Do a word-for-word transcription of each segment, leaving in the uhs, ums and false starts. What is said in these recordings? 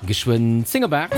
Geschwënn zéng op aacht.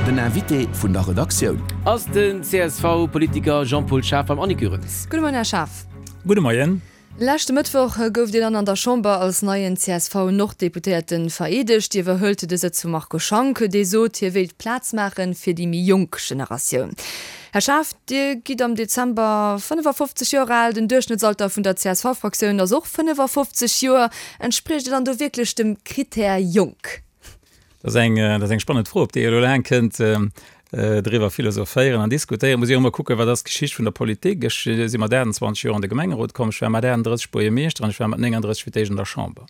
Den Invité vun der Redaktioun. Ass den C S V-Politiker Jean-Paul Schaaf beim Annick Goerens. Gudde Moien, Här Schaaf. Gudde Moien. Leschte Mëttwoch gouft Dir dann an der Chamber als neien C S V-Norddeputéierte vereedegt. Dir iwwerhëlt de Sëtz vum Marco Schank, dee sot, hie wéilt Plaz maache fir déi méi jonk Generatioun. Här Schaaf, Dir gitt am Dezember fënnefafofzeg Joer al. Den Duerchschnëttsalter vun der C S V-Fraktioun ass och fënnefafofzeg Joer. Entspriecht Dir dann do wierklech dem Krittär jonk? Dat ass eng, dat ass eng spannend Fro, op déi ee elo laang kënnt driwwer philosophéieren an diskutéieren. Muss ee och emol kucken, wat ass d'Geschicht vun der Politik. Ech si mat aachtundzwanzeg Joer an de Gemengerot komm, ech war mat aachunddrësseg Buergermeeschter an ech war mat nénganddrësseg fir d'éischt an der Chamber.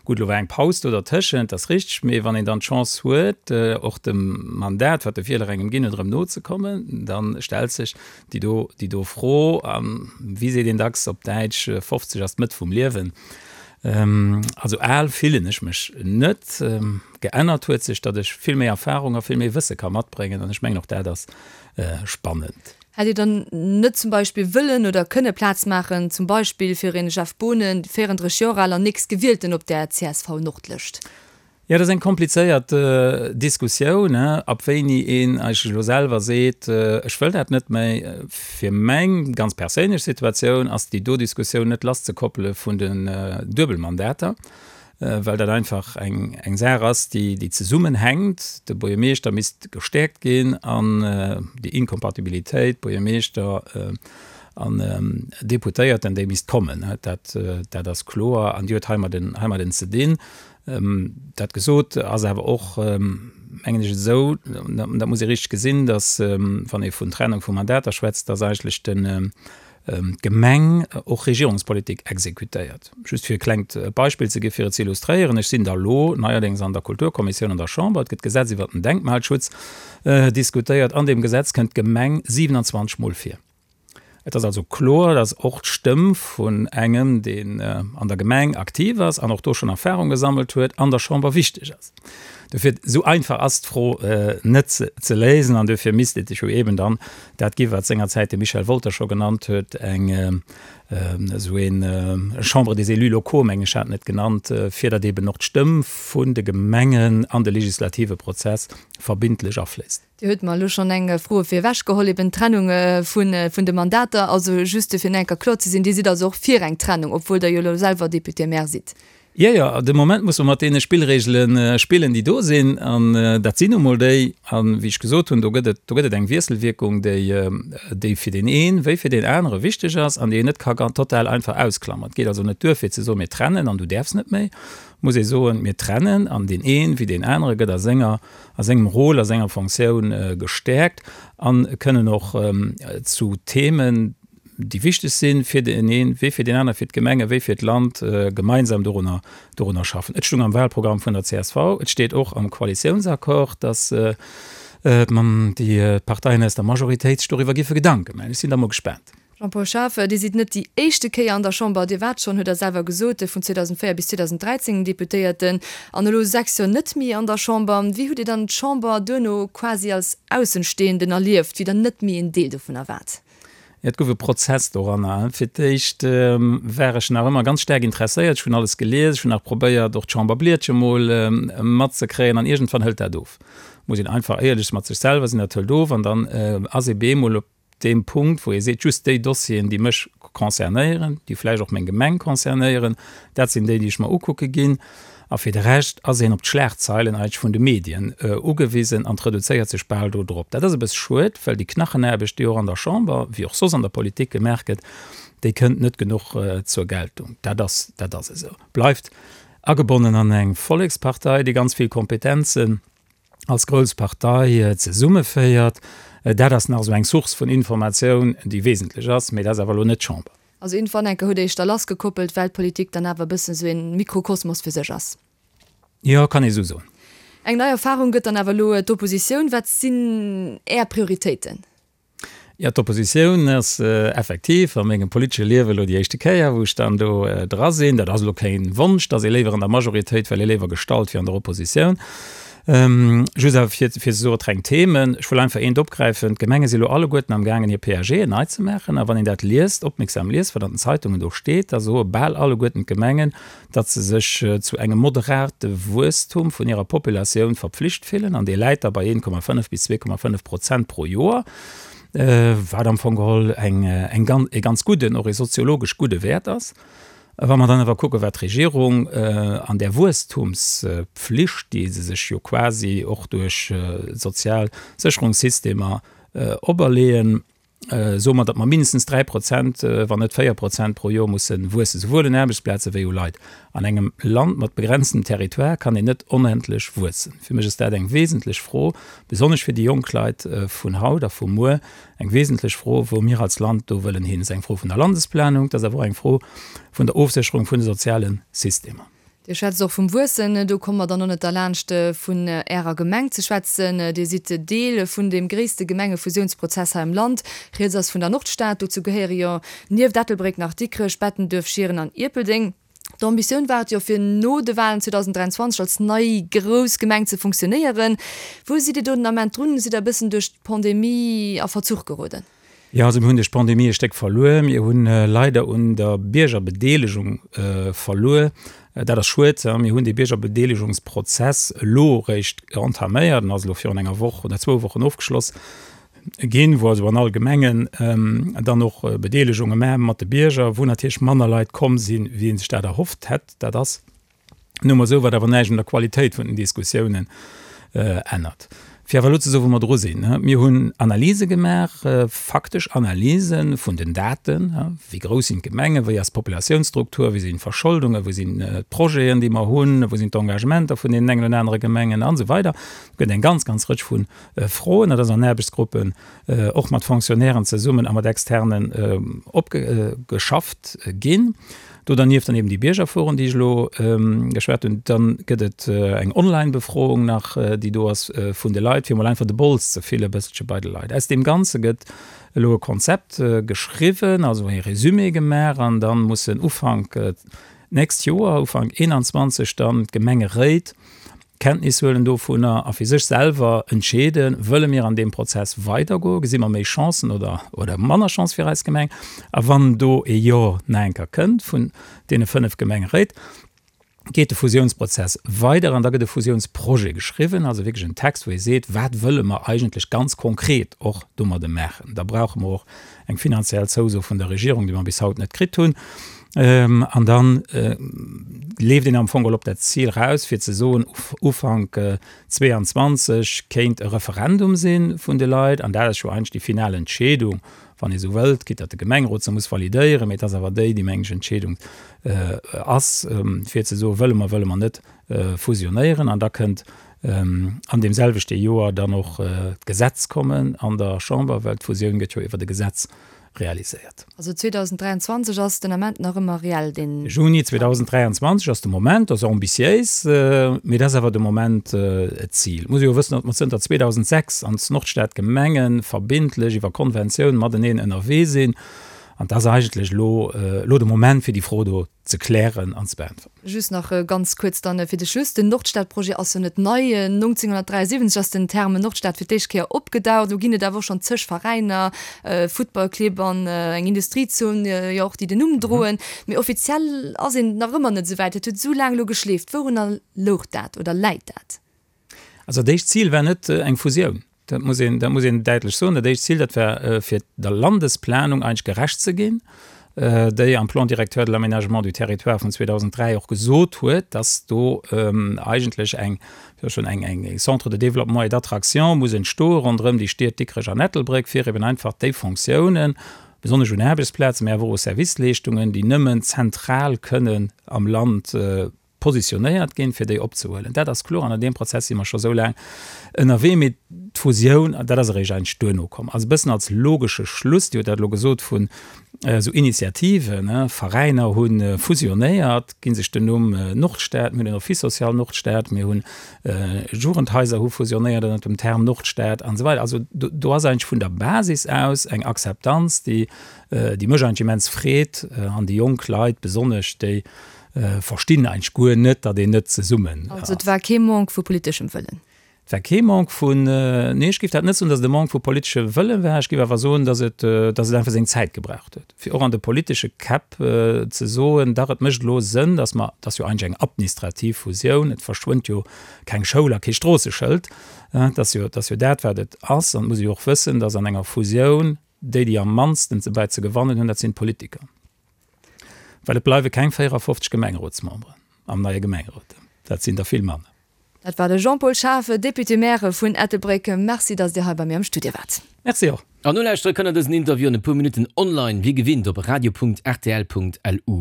Gutt, elo war eng Paus do dertëschent, dat ass richteg, mee wann een dann d'Chance huet, och dem Mandat, wat de Wieler engem ginn huet, erëm nozekommen, da stellt sech déi do, déi do Fro. A wéi seet een dacks op Däitsch, fofzeg ass d'Mëtt vum Liewen. Also al fillen ech mech net. Geännert huet sech, datt ech vill méi Erfahrung a vill méi Wësse ka matbréngen an ech mengen och dat ass spannend. Hätt Dir dann net zum Beispill wëllen oder kënne Plaz maachen, zum Beispill fir een Jeff Boonen, véierunddrësseg Joer al an nächstgewielten op der C S V-Nordlëscht? Jo, dat ass eng komplizéiert Diskussioun, ab wéini een eigentlech elo selwer seet, ech wëll dat net méi. Fir meng ganz perséinlech Situatioun ass déi do Diskussioun net lasszekoppele vun den Duebelmandater, well dat einfach eng eng Saach ass, déi déi zesummenhänkt. De Buergermeeschter misst gestäerkt ginn an déi Inkompatibilitéit Buergermeeschter an Deputéierten, déi misst kommen. Dat dat ass kloer an déi huet heimadden heimadden ze dinn. Dat gesot, ass awer och, mengen ech, esou, dat muss ee richteg gesinn, datt, wann ee vun Trennung vu Mandater schwätzt, datt eigentlech d'Gemeng och Regierungspolitik exekutéiert. Just fir e klengt Beispill ze gi fir et ze illustréieren, Ech sinn da lo neierdéngs an der Kulturkommissioun an der Chamber, et gëtt d'Gesetz iwwert den Denkmalschutz diskutéiert. An deem Gesetz kënnt d'Gemeng siewenundzwanzeg Mol vir. Et ass also kloer, dass och d'Stëmm vun engem, deen an der Gemeng aktiv ass an och do schonn Erfahrung gesammelt huet, an der Chamber wichteg ass. Dofir, esou einfach ass d'Fro net ze léisen an dofir misst et jo eben dann dat gi wat sengerzäit de Michel Wolter scho genannt huet, eng esou een Chambre des élus locaux, meng ech hat en et genannt, fir datt eben och d'Stëmm vun de Gemengen an de legislative Prozess verbindlech afléisst. Dir hutt mer elo schonn eng Fro fir ewech geholl, eben d'Trennung vun de Mandater. Also just fir nach eng Kéier kloer ze sinn, Dir sidd also och fir eng Trennung, obwuel Der jo elo selwer Député-maire sidd? Jo, jo, de Moment musse mer mat deene Spillregele spillen, déi do sinn. An dat sinn nu mol déi. A wéi ech gesot hunn, do gëtt et, do gëtt et eng Wiesselwierkung, déi, déi fir deen een wéi fir deen anere wichteg ass an déi een net ka total einfach ausklammern. Et geet also net duer fir ze soen, mir trennen an du däerfs net méi. Muss ee soen, mir trennen an deen een wéi deen anere gëtt a senger, a sengem Rôle, a senger Fonctioun gestäerkt a kënnen och zu Themen, déi wichteg sinn, fir deen een wéi fir deen aner, fir d'Gemenge wéi fir d'Land, gemeinsam dorunner, dorunner schaffen. Et stung am Wahlprogramm vun der C S V, et steet och am Koalitiounsaccord, dass déi Parteien aus der Majoritéit sech doriwwer géife Gedanke maachen. Ech sinn da mol gespaant. Jean-Paul Schaaf, Dir sidd net déi éischte Kéier an der Chamber. Dir waart schonn, hutt Der selwer gesot, vun zweedausendvéier bis zweedausendräizéng Deputéierten an elo sechs Joer net méi an der Chamber. Wéi hutt Dir dann d'Chamber duerno quasi als Aussenstehenden erlieft, wéi Der net méi en Deel dovunner waart? Et gouf e Prozess doranner. Fir d'éischt war ech nach ëmmer ganz staark interesséiert. Ech hunn alles gelies, ech hunn nach probéiert, och d'Chamberblietche mol matzekréien an iergendwann hëlt dat of. Muss een einfach éierlech mat sech selwer sinn, dat hëlt of an dann ass ee bemol op deem Punkt, wou ee seet, just déi Dossieren, déi mech concernéieren, déi vläicht och meng Gemeng concernéieren, dat sinn déi, déi ech mer ukucke ginn. A fir de Rescht ass een op d'Schlagzeilen eigentlech vun de Medien ugewisen an reduzéiert sech bal do drop. Dat ass e bësse schued, well déi Knachenaarbecht, déi och an der Chamber, wéi och soss an der Politik gemaach gëtt, déi kënnt net genuch zur Geltung. Dat ass, dat ass esou. Bleift agebonnen an eng Vollekspartei, déi ganz vill Kompetenzen als grouss Partei zesummeféiert. Dat ass nach esou eng Source vun Informatioun, déi wesentlech ass, mee dat ass awer elo net d'Chamber. Also iergendwann enke hutt Der Iech da lassgekoppelt, well d'Politik dann awer e bëssen esou ee Mikrokosmos fir sech ass. Jo, kann ee sou soen. Eng nei Erfarung gëtt dann awer elo d'Oppositioun. Wat sinn Är Prioritéiten? Jo, d'Oppositioun ass effektiv a mengem politesche Liewe elo déi éischte Kéier, wou ech dann do dra sinn. Dat ass elo keen Wonsch, dass ee léiwer an der Majoritéit, well ee léiwer gestallt wéi an der Oppositioun. Just awer fir fir ze soen, et reng Themen, ech wëll einfach eent opgräifen, D'Gemenge si elo alleguerten amgaangen hir P A Gen nei ze maachen. A wann een dat liest, opmierksam liest, wat an den Zeitungen do steet, da soe bal alleguerten d'Gemengen, datt se sech zu engem moderate Wuesstum vun hirer Populatioun verpflicht fillen, an dee läit da bei een Komma fënnef bis zwee Komma fënnef Prozent pro Joer, wat am Fong geholl eng eng e ganz gudden, och e soziologesch gudde Wäert ass. Wa mer dann awer kucken, wat d'Regierung an där Wuesstumspflicht, déi se sech jo quasi och duerch d'sozial Sécherungssystemer operleeën, soe mer, datt mer mindestens dräi Prozent, wann net véier Prozent pro Joer musse wuessen, souwuel un Aarbechtsplaze wéi u Leit. An engem Land mat begrenztem Territoire kann een net onendlech wuessen. Fir mech ass dat eng wesentlech Fro, besonnesch fir déi jonk Leit vun haut a vu muer, eng wesentlech Fro, wou mir als Land do wëllen hin. Dat ass eng Fro vun der Landesplanung, dat ass awer och eng Fro vun der Ofsécherung vun de soziale Systemer. Dir schwätzt och vum Wuessen. Do komme mer dann och net derlaanscht, vun Ärer Gemeng ze schwätzen. Dir sidd Deel vun deem gréisste Gemengefusiounsprozess hei am Land. Rieds ass vun der Nordstad. Dozou gehéiere jo nieft Ettelbréck nach Dikrech, Bettenduerf, Schieren an Ierpeldeng. D'Ambitioun war et jo, fir no de Walen zweedausend dräianzwanzeg als nei grouss Gemeng ze funktionéieren. Wou sidd Dir do den Ament drun? Sidd Der e bëssen duerch d'Pandemie a Verzuch geroden? Jo, also mir hunn duerch d'Pandemie e Stéck verluer. Mir hunn leider un der Biergerbedeelegung verluer. Dat ass schued. Mir hunn dee Biergerbedeelegungsprozess elo eréischt entaméiert, en ass elo virun enger Woch oder zwou Wochen ofgeschloss ginn, wou also an all Gemengen dann och Bedeelegunge maache mat de Bierger, wou natierlech manner Leit komm sinn, wéi ee sech dat erhofft hätt. Dat ass nu emol esou, wat awer näischt un der Qualitéit vun den Diskussiounen ännert. Fir awer elo ze soen, wou mer dru sinn, Mir hunn Analyse gemaach, faktesch Analyse vun den Daten, wéi grouss sinn d'Gemengen, wéi ass d'Populatiounsstruktur, wéi sinn d'Verscholdungen, wou sinn d'Projeten, déi mer hunn, wou sinn d'Engagementer vun deenen engen oder anere Gemengen an esou weider. Et gëtt eng ganz, ganz Rëtsch vu Froen. Dat ass an Aarbechtsgruppen och mat Fonctionnairen zesummen a mat Externen opgeschafft ginn. Do dernieft dann eben déi Biergerforen, déi ech elo geschwat hunn. Dann gëtt et eng Online-Befroung nach, déi do ass vun de Leit, fir emol einfach de Bols ze fille bësselche bei de Leit. Aus deem Ganze gëtt elo e Konzept geschriwwen, also e Résumé gemaach, an da mussen Ufank d'nächst Joer, Ufank eenanzwanzeg dann d'Gemengeréit Kenntnis huelen dovunner a fir sech selwer entscheeden, Wëlle mir an deem Prozess weidergoen, gesi mer méi Chancen oder, oder manner Chance fir eis Gemeng? A wann do e Jo nach eng Kéier kënnt vun deene fënnef Gemengeréit, geet de Fusiounsprozess weider an da gëtt e Fusiounsprojet geschriwwen, also wierklech en Text, wou ee seet, wat wëlle mer eigentlech ganz konkret och domadde maachen. Da brauche mer och eng finanziell Zouso vun der Regierung, déi mer bis haut net kritt hunn. An da leeft een am Fong geholl op dat Zil raus, fir ze soen, Ufank zweeanzwanzeg kéint e Referendum si vun de Leit. An dat ass jo eigentlech déi final Entscheedung, wann ee sou wëllt, quitte datt de Gemengerot se muss validéieren, mee et ass awer déi, déi, meng ech, Entscheedung ass, fir ze soen, wëlle mer, wëlle mer net fusionéieren. An da kënnt an deem selwechte Joer dann och d'Gesetz kommen an der Chamber, well d'Fusioun gëtt jo iwwert e Gesetz realiséiert. Also zweedausend dräianzwanzeg ass den Ament nach ëmmer reell, deen. Juni zweedausend dräianzwanzeg ass de Moment, dat ass ambitiéis, mee dat ass awer de Moment d'Zil. Et muss ee jo wëssen, datt mer zënter zweedausendsechs an d'Nordstad-Gemenge verbindlech iwwer Konventioun mateneen ënnerwee sinn. An dat ass eigentlech elo elo de Moment, fir déi Fro do ze klären an ze beäntweren. Just nach ganz kuerz dann fir de Schluss, Den Nordstad-Projet ass jo net nei. nonzénghonnertdräiasiwwenzeg ass den Terme Nordstad fir d'éischt Kéier opgedaucht. Elo ginn et awer och schonn zeg Veräiner, Futtballclibb an eng Industriezon jo och, déi den Numm droen. Mee offiziell ass een nach ëmmer net esou wäit. Et huet esou laang elo geschleeft. Wourunner louch dat oder läit dat? Also dat éischt Zil war net eng Fusioun. Dat muss een, dat muss een däitlech soen. Dat éischt Zil, dat war fir der Landesplanung eigentlech gerecht ze ginn, déi am Plan directeur de l'aménagement du territoire vun zweedausenddräi och gesot huet, dass do eigentlech eng, jo schon eng, eng Centre de développement et d'attraction muss entstoe ronderëm déi Stied Dikrech an Ettelbréck, fir eben einfach déi Fonctiounen, besonnesch un Aarbechtsplazen, mä awer och u Serviceleeschtungen, déi nëmmen zentral kënnen am Land positionéiert ginn, fir déi opzehuelen. Dat ass kloer an an deem Prozess si mer scho sou laang ënnerwee. Mee d'Fusioun, dat ass eréischt eigentlech duerno komm. Also e bëssen als logesche Schluss, Dir hutt dat elo gesot, vun esou Initiativen, Veräiner hu fusionéiert, gi sech den Numm Nordstad, mir hunn den Office social Nordstad, mir hunn Jugendhaiser hu fusionéiert ënnert dem Term Nordstad an esou weider. Also do ass eigentlech vun der Basis aus eng Akzeptanz, déi déi mech eigentlech immens freet an déi jonk Leit besonnesch, déi verstinn eigentlech guer net, datt een net zesummen ass. Also et war kee Manque vu politeschem Wëllen? Et war kee Manque vun, nee, ech géif dat net soen, datt et e Manque vu politesche Wëlle war. Ech géif awer soen, datt et, datt et einfach seng Zäit gebraucht huet, fir och an de politesche Käpp ze soen, dach et mécht elo Sënn, datt mer, et ass jo eigentlech eng administrativ Fusioun, et verschwënnt jo keng Schoul a kee Stroosseschëld, et ass jo, et ass jo dat wat et ass. An et muss ee jo och wëssen, datt an enger Fusioun déi, déi am mannsten ze bäi ze gewannen hunn, dat sinn d'Politiker, well et bleiwe keng véierafofzeg Gemengerotsmemberen am neie Gemengerot, dat sinn der vill manner. Dat war de Jean-Paul Schaaf, Député-maire vun Ettelbréck. Merci, datt Dir hei bei mir am Studio waart. Merci och. An nolauschtere kënnt der dësen Interview an e puer Minutten online, wéi gewinnt op radio punkt rtl punkt lu.